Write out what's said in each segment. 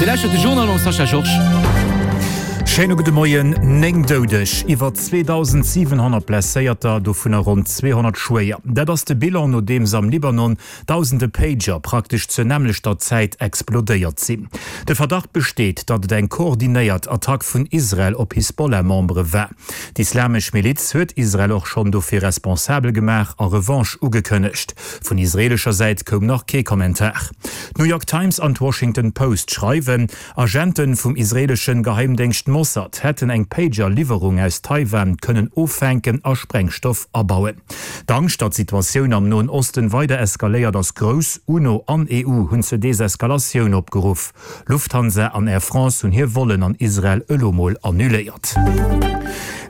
Dir lauschtert de Journal mam Sascha Georges. Schéine gudde Moien. 9 Doudeg, iwwer 2.700 Blesséierter, dovunner ronn 200 schwéier. Dat ass de Bilan, nodeems am Libanon dausende Pager praktesch zur nämmlechter Zäit explodéiert sinn. De Verdacht besteet, datt et eng koordinéiert Attack vun Israel op Hisbollah-Membere war. D'Islamesch Miliz huet Israel och schonn dofir responsabel gemaach a Revanche ugekënnegt. Vun israeelescher Säit koum nach kee Kommentar. D'New York Times an d'Washington Post schreiwen, Agente vum israeelesche Geheimdéngscht Mossad hätten eng Pager-Liwwerung aus Taiwan kënnen offänken a Sprengstoff abauen. D'Angscht, datt d'Situatioun am Noen Osten weider eskaléiert, ass grouss. UNO an EU hunn zur Deseskalatioun opgeruff. Lufthansa an Air France hunn hir Vollen an Israel elo mol annuléiert.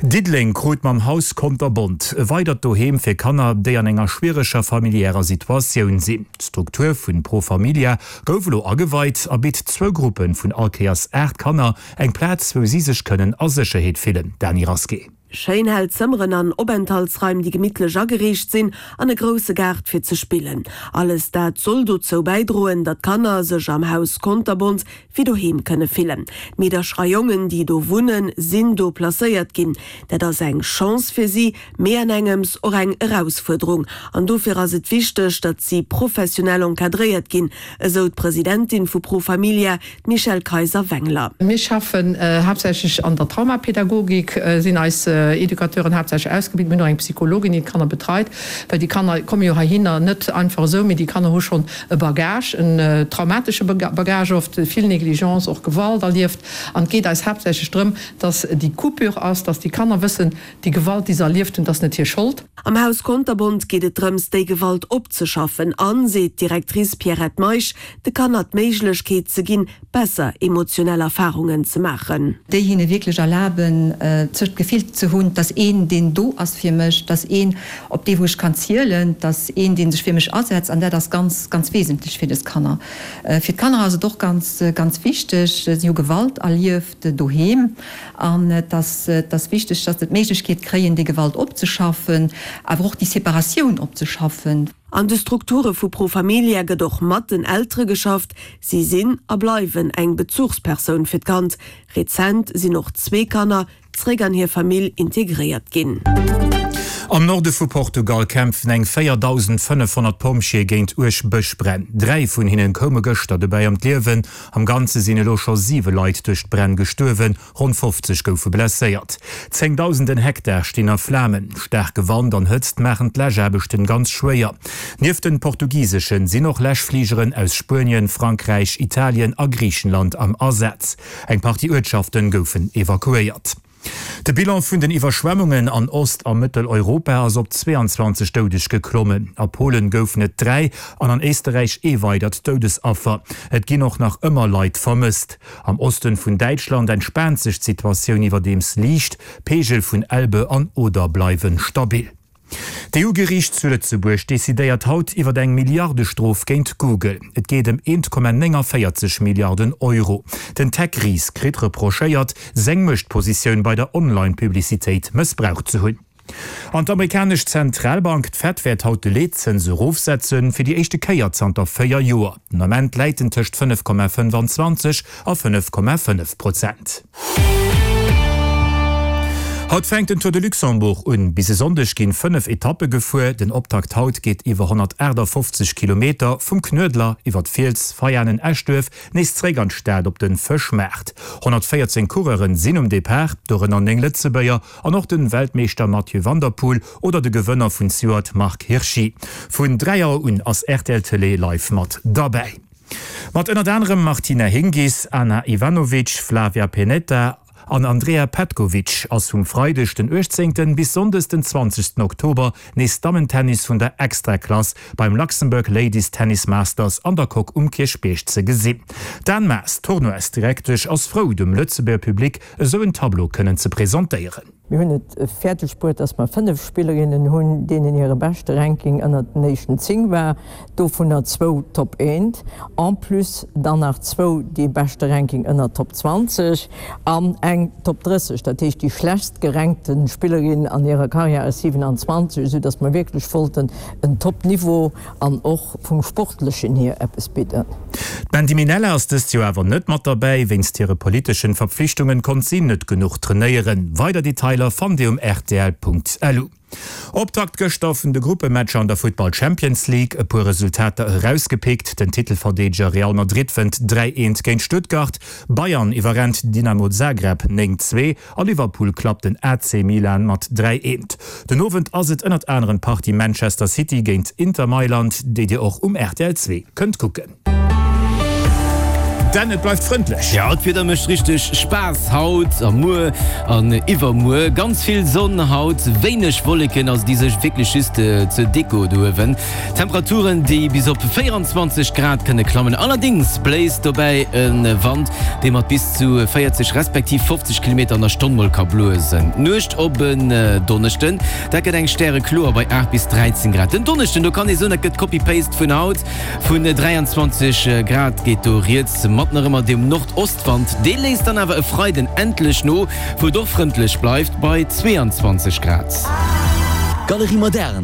Diddeleng krut mam Haus Konterbont e weidert Doheem fir Kanner, déi an enger schwiereger familiärer Situatioun sinn. D'Struktur vun Pro Familia gouf elo ageweit a bitt zwou Gruppe vun all Kéiers 8 Kanner eng Plaz, wou si sech kënnen a Sécherheet fillen. Dany Rasqué. Schéin hell Zëmmeren an Openthaltsraim, déi gemittlech ageriicht sinn, an e grousse Gaart fir ze spillen. Alles dat soll dozou bäidroen, datt d'Kanner sech am Haus Konterbont wéi doheem kënne fillen. D'Meedercher a Jongen, déi do wunnen, sinn do placéiert ginn. Dat ass eng Chance fir si, mee an engems och eng Erausfuerderung. An dofir ass et wichteg, datt si professionell encadréiert ginn, esou d'Presidentin vu Pro Familia, D'Michèle Kayser-Wengler. Mir schaffen haaptsächlech an der Traumapädagogik, sinn eis Educateuren haaptsächlech ausgebilt. Mir hunn och eng Psychologin, déi d'Kanner betreit, well déi Kanner komme jo heihinner net einfach esou, mee déi Kanner hu schonn e Bagage, en traumatesche Bagage oft, vill Négligence, och Gewalt erlieft. An et geet eis haaptsächlech drëm, dass déi Coupure ass, dass déi Kanner wëssen, déi Gewalt, déi se erlieft hunn, dat ass net hir Schold. Am Haus Konterbont geet et drëms, déi Gewalt opzeschaffen an, seet d'Directrice Pierrette Meisch, de Kanner d'Méiglechkeet ze ginn, besser emotionell Erfarungen ze maachen. Déi hinne wierklech erlaben, sech d'Gefill ze hunn, 't ass een, deen do ass fir mech, 't ass een, op dee wou ech kann zielen, 't ass een, dee sech fir mech asetzt. An dat ass ganz, ganz wesentlech fir dës Kanner. Fir d'Kanner ass et och ganz, ganz wichteg, si hu Gewalt erlieft doheem an et ass, et ass wichteg, dass se d'Méiglechkeet kréien, déi Gewalt opzeschaffen, awer och déi Separatioun opzeschaffen. An de Strukture vu Pro Familia gëtt och mat den Eltere geschafft. Si sinn a bleiwen eng Bezuchspersoun fir d'Kand. Rezent sinn och zwee Kanner zréck an hir Famill integréiert ginn. Am Norde vu Portugal kämpfen eng 4.500 Pompjeeë géint uerg Bëschbränn. Dräi vun hinnen koume gëschter dobäi ëm d'Liewen. Am Ganze sinn elo scho siwe Leit duerch d'Bränn gestuerwen. Ronn 50 goufe blesséiert. Zéngdausenden Hektar stinn a Flamen. Staarke Wand an Hëtzt maachen d'Läschaarbechten ganz schwéier. Nieft den portugiseschen sinn och Läschfligeren aus Spuenien, Frankräich, Italien a Griichenland am Asaz. Eng Partie Uertschaften goufen evakuéiert. De Bilan vun den Iwwerschwemmungen an Ost a Mëtteleuropa ass op 22 Doudeg geklommen. A Polen goufen et 3 an an Éisterräich ee weidert Doudesaffer. Et ginn och nach ëmmer Leit vermësst. Am Osten vun Däitschland entspaant sech d'Situatioun iwwerdeems liicht, d'Peegel vun Elbe an Oder bleiwe stabil. D'EU-Geriicht zu Lëtzebuerg decidéiert haut iwwer eng Milliardestrof géint Google. Et geet ëm 1,49 Milliarden Euro. Den Tech-Ris kritt reprochéiert, seng Muechtpositioun bei der Online-Publicitéit mëssbraucht ze hunn. An d'amerikanesch Zentralbank, d'Fed, wäert haut de Leetzëns erofsetzen, fir déi éischte Kéier zanter 4 Joer. Den Ament läit en tëscht 5,25 a 5,5 Prozent. Haut fänkt den Tour de Luxembourg un. Bis e Sonndeg ginn 5 Etappe gefuer. Den Optakt haut geet iwwer 158 Kilometer vum Knuedler iwwer d'Fiels, Veianen, Eschduerf nees zeréck an d'Stad op de Fëschmaart. 114 Coureuren sinn um Depart, dorënner 9 Lëtzebuerger An och den Weltmeeschter Mathieu van der Poel oder de Gewënner vun zejoert Marc Hirschi. Vun 3 Auer un ass rtl Télé live mat derbäi. Mat ënnert anerem Martina Hingis, Ana Ivanovic, Flavia Pennetta an Andrea Petkovic ass vum Freideg den 18 bis Sonndes den 20 Oktober nees Dammentennis vun der Extraklass beim Luxembourg Ladies Tennis Masters an der Coque um Kierchbierg ze gesinn. D'Anne Maas, Tournoisdirektesch, ass frou dem Lëtzebuerger Public esou en Tableau kënnen ze presentéieren. Mir hunn et fäerdeg bruet, dass mer 5 Spillerinnen hunn, deenen hire beschte Ranking ënnert den éischten 10 war, dovunner zwou Top 1, en plus dann nach zwou, déi beschte Ranking ënnert Top 20 an eng Top 30, dat heescht déi schlechtst gerankte Spillerin an hirer Karriär ass 27, esou dass mer wierklech wollten en Top-Niveau an och vum Sportlechen hier eppes bidden. D'Mandy Minella ass dëst Joer awer net mat derbäi. Wéinst hire politeschen Verpflichtungen konnt si net genuch trainéieren. Weider Detailer fannt dir um rtl.lu. Optakt gëschter vun de Gruppematcher an der Futtball Champions League. E puer Resultater erausgepickt, Den Titelverdeedeger Real Madrid wënnt 3, 1 géint Stuttgart, Bayern iwwerrennt Dynamo Zagreb 9, 2 a Liverpool klappt den AC Milan mat 3, 1. Den Owend ass et ënnert anerem d'Partie Manchester City géint Inter Mailand, déi dir och um rtl 2 kënnt kucken. Denn et bleift frëndlech. Jo, d'Wieder mécht richteg Spaass haut a muer an iwwermuer. Ganz vill Sonn haut, wéineg Wolleken, also déi sech wierklech just zur Deko do uewen. Temperaturen, déi bis op 24 Grad kënne klammen. Allerdéngs bléist dobäi e Wand, dee mat bis zu 40 respektiv 50 Kilometer an der Stonn mol ka blosen. D'Nuecht op en Donneschden, dat gëtt eng stärekloer bei 8 bis 13 Grad. Den Donneschden, do kann ee soen, dat gëtt Copy-Paste vun haut. Vun 23 Grad geet do rieds, mat nach ëmmer dem Nordostwand. Dee léisst dann awer e Freiden endlech no, wou et och frëndlech bleift bei 22 Grad. Galerie Moderne.